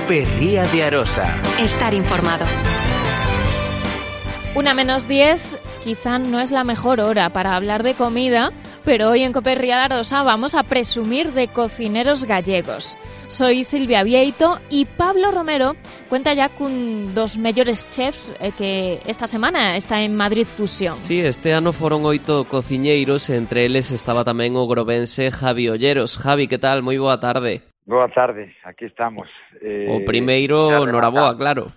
Cope Ría de Arosa. Estar informado. 1:10, quizá no es la mejor hora para hablar de comida, pero hoy en Cope Ría de Arosa vamos a presumir de cocineros gallegos. Soy Silvia Vieito y Pablo Romero cuenta ya con dos mellores chefs que esta semana está en Madrid Fusión. Sí, este ano foron 8 cociñeiros, entre eles estaba tamén o grovense Javi Olleros. Javi, que tal? Moi boa tarde. Boa tarde, aquí estamos. O primeiro, noraboa, claro.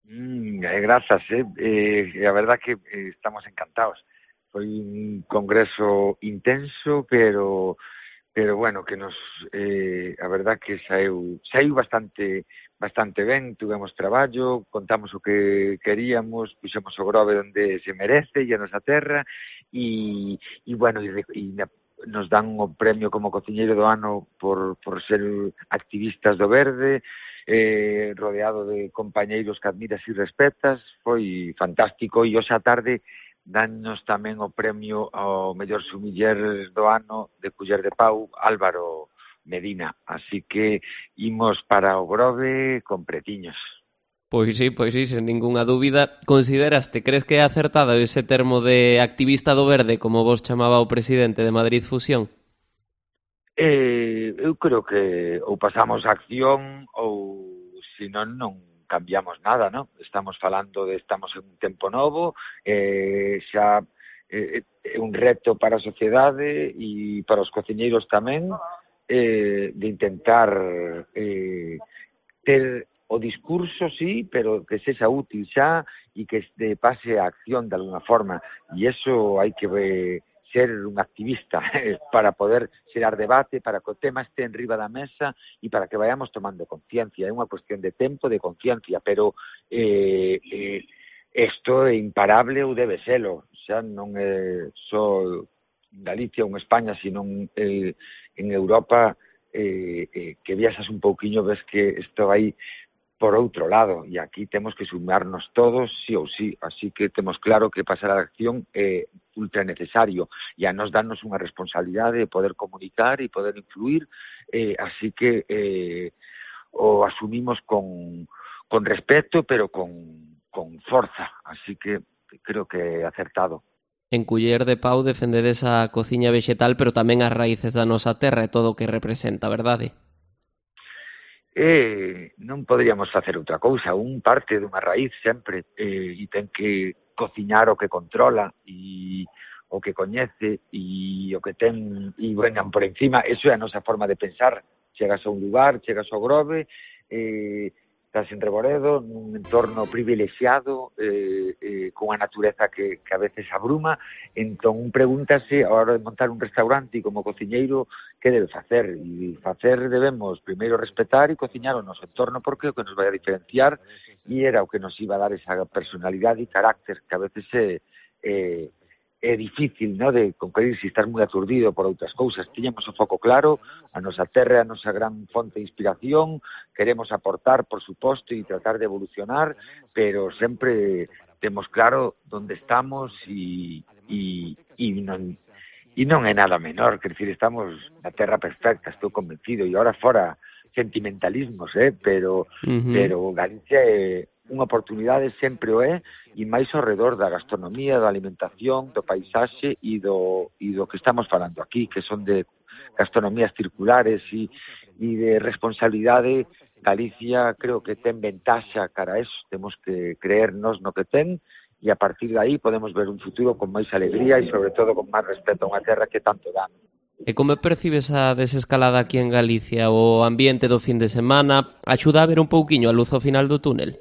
Grazas, a verdad que estamos encantados. Foi un congreso intenso, pero bueno, que nos a verdad que saiu bastante ben, tuvemos traballo, contamos o que queríamos, puxemos o Grove onde se merece e a nosa terra e bueno, nos dan o premio como cociñeiro do ano por ser activistas do verde, rodeado de compañeiros que admiras e respetas. Foi fantástico e hoxe á tarde dannos tamén o premio ao mellor sumiller do ano de Culler de Pau, Álvaro Medina. Así que imos para o Grove con pretiños. Pois sí, sen ningunha dúbida. Consideraste, crees que é acertado ese termo de activista do verde, como vos chamaba o presidente de Madrid Fusión? Eu creo que ou pasamos a acción ou, senón, non cambiamos nada, non? Estamos en un tempo novo, xa é un reto para a sociedade e para os cociñeiros tamén, de intentar ter o discurso, sí, pero que sexa útil xa e que pase a acción de alguna forma. E iso hai que ser un activista para poder xerar debate, para que o tema este en riba da mesa e para que vayamos tomando conciencia. É unha cuestión de tempo, de conciencia, pero isto é imparable ou debe selo. Xa non é só Galicia ou España, sino en Europa, que viaxas un pouquiño, ves que isto vai por outro lado, e aquí temos que sumarnos todos, sí ou sí, así que temos claro que pasar a acción é ultra necesario, e a nos darnos unha responsabilidade de poder comunicar e poder influir, así que o asumimos con respeto, pero con forza, así que creo que é acertado. En Culler de Pau defendedes a cociña vexetal, pero tamén as raíces da nosa terra e todo o que representa, verdade? Non poderíamos facer outra cousa, un parte dunha raíz sempre, e ten que cociñar o que controla e o que coñece e o que ten e vengan por encima. Eso é a nosa forma de pensar. Chegas a un lugar, chegas ao Grove, estás en Reboredo, nun entorno privilexiado, con a natureza que a veces abruma, entón pregúntase, a hora de montar un restaurante e como cociñeiro, que debe facer? E facer debemos primeiro respetar e cociñar o noso entorno, porque é o que nos vai a diferenciar e era o que nos iba a dar esa personalidade e carácter que a veces é difícil, no, de conquerir se estás moi aturdido por outras cousas. Tiñamos o foco claro, a nosa terra, a nosa gran fonte de inspiración, queremos aportar, por suposto, e tratar de evolucionar, pero sempre temos claro onde estamos e non é nada menor, quer dicir, estamos na terra perfecta, estou convencido, e ahora fora sentimentalismos, pero Galicia é unha oportunidade, sempre o é, e máis ao redor da gastronomía, da alimentación, do paisaxe e do que estamos falando aquí, que son de gastronomías circulares e de responsabilidade. Galicia creo que ten ventaxa cara a eso, temos que creernos no que ten e a partir de aí podemos ver un futuro con máis alegría e sobre todo con máis respeto a unha terra que tanto dá. E como percibes a desescalada aquí en Galicia? O ambiente do fin de semana axuda a ver un pouquiño a luz ao final do túnel?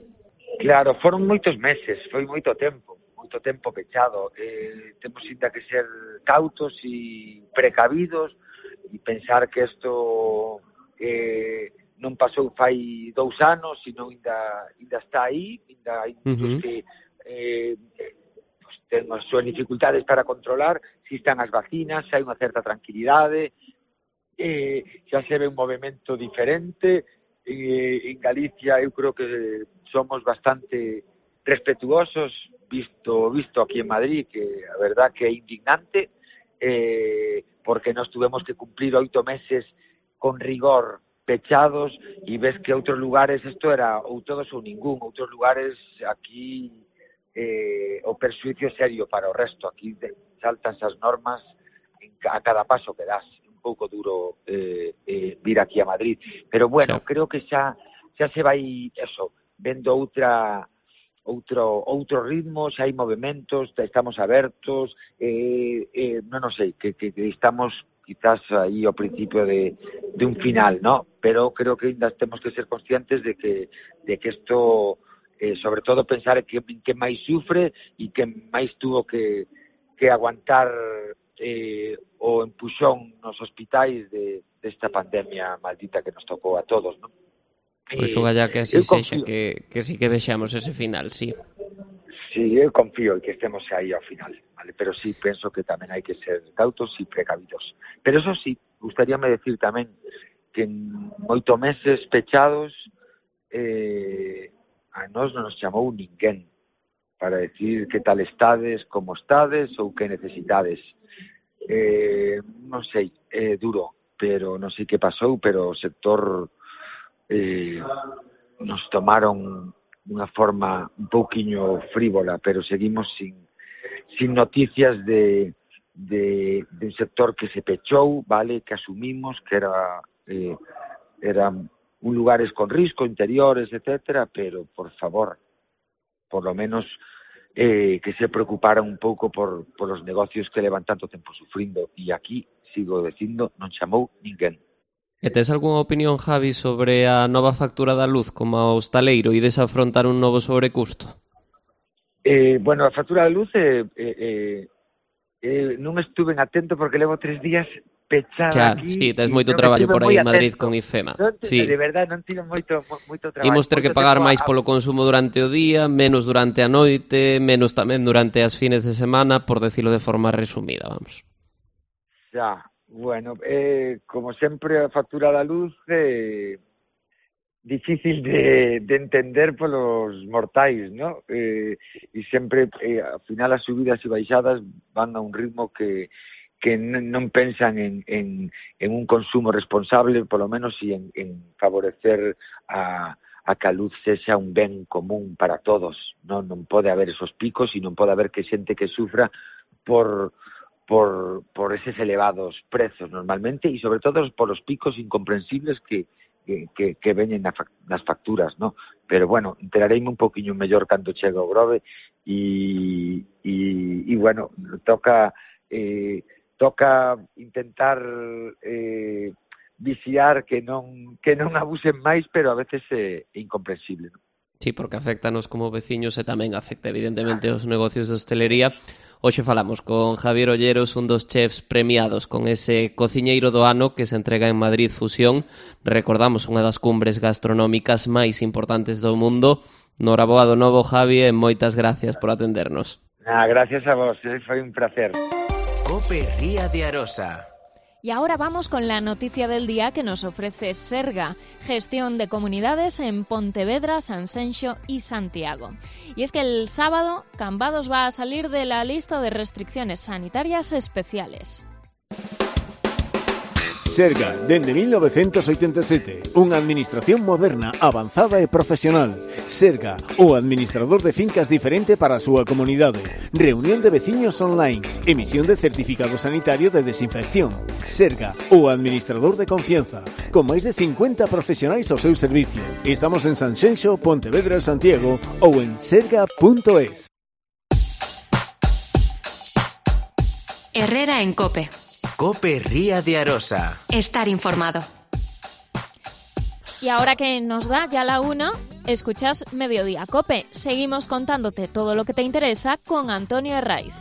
Claro, foron moitos meses, foi moito tempo pechado. Temos ainda que ser cautos e precavidos e pensar que isto non pasou fai 2 anos, sino ainda está aí, ainda hai muitos que ten as súas dificultades para controlar, se están as vacinas, hai unha certa tranquilidade, xa se ve un movimento diferente. En Galicia eu creo que somos bastante respetuosos, visto aquí en Madrid, que a verdad que é indignante, porque nos tuvemos que cumplir 8 meses con rigor pechados, e ves que outros lugares isto era ou todos ou ningún, outros lugares aquí o perxuicio serio para o resto, aquí saltanse as normas a cada paso que das, un pouco duro vir aquí a Madrid, pero bueno, sí. Creo que xa se vai eso, vendo outro ritmo, xa hai movimentos, estamos abertos, non sei, que estamos quizás aí ao principio de un final, ¿no? Pero creo que ainda temos que ser conscientes de que isto, sobre todo pensar que máis sufre e que máis tuvo que aguantar o empuxón nos hospitais desta pandemia maldita que nos tocou a todos, ¿no? Pois ogalla que así sexa, que sí que deixamos ese final, sí. Sí, eu confío en que estemos aí ao final, vale? Pero sí penso que tamén hai que ser cautos e precavidos. Pero eso sí, gustaríame decir tamén que en 8 meses pechados a nós non nos chamou ninguén para decir que tal estades, como estades ou que necesitades. Non sei, é duro, pero non sei que pasou, pero o sector nos tomaron dunha forma un pouquiño frívola, pero seguimos sin noticias de un sector que se pechou, vale, que asumimos que eran lugares con risco, interiores, etcétera, pero por favor, por lo menos que se preocuparan un pouco por os negocios que levan tanto tempo sufrindo, e aquí, sigo dicindo, non chamou ninguén. E tes algunha opinión, Javi, sobre a nova factura da luz como a hostaleiro e desafrontar un novo sobrecusto? Bueno, a factura da luz non estuve atento porque levo 3 días pechada aquí. Sí, tes moito traballo por aí en Madrid con IFEMA. Sí. De verdade, non tive moito traballo. Imos ter que pagar máis polo consumo durante o día, menos durante a noite, menos tamén durante as fines de semana, por decirlo de forma resumida, vamos. Xa. Bueno, como sempre a factura da luz difícil de entender polos mortais, ¿no? E sempre, ao final, as subidas e baixadas van a un ritmo que non pensan en un consumo responsable, polo menos, e en favorecer a que a luz sexa un ben común para todos, non pode haber esos picos e non pode haber que xente que sufra por eses elevados prezos normalmente, e sobre todo por os picos incomprensibles que veñen nas facturas, ¿no? Pero bueno, enterareime un poquinho mellor cando chega o Grove e bueno, toca intentar vixiar que non abusen máis, pero a veces é incomprensible, ¿no? Sí, porque afectanos como veciños e tamén afecta evidentemente os negocios de hostelería. Hoxe falamos con Javier Olleros, un dos chefs premiados con ese cociñeiro do ano que se entrega en Madrid Fusión. Recordamos unha das cumbres gastronómicas máis importantes do mundo. Noraboa do novo, Javi, e moitas gracias por atendernos. Gracias a vos, foi un placer. COPE Ría de Arosa. Y ahora vamos con la noticia del día que nos ofrece Serga, gestión de comunidades en Pontevedra, Sanxenxo y Santiago. Y es que el sábado Cambados va a salir de la lista de restricciones sanitarias especiales. Serga, dende 1987, unha administración moderna, avanzada e profesional. Serga, o administrador de fincas diferente para a súa comunidade. Reunión de veciños online. Emisión de certificado sanitario de desinfección. Serga, o administrador de confianza. Con máis de 50 profesionais ao seu servicio. Estamos en Sanxenxo, Pontevedra e Santiago ou en serga.es. Herrera en COPE. COPE Ría de Arosa. Estar informado. Y ahora que nos da ya la 1, escuchas Mediodía COPE. Seguimos contándote todo lo que te interesa con Antonio Herraiz.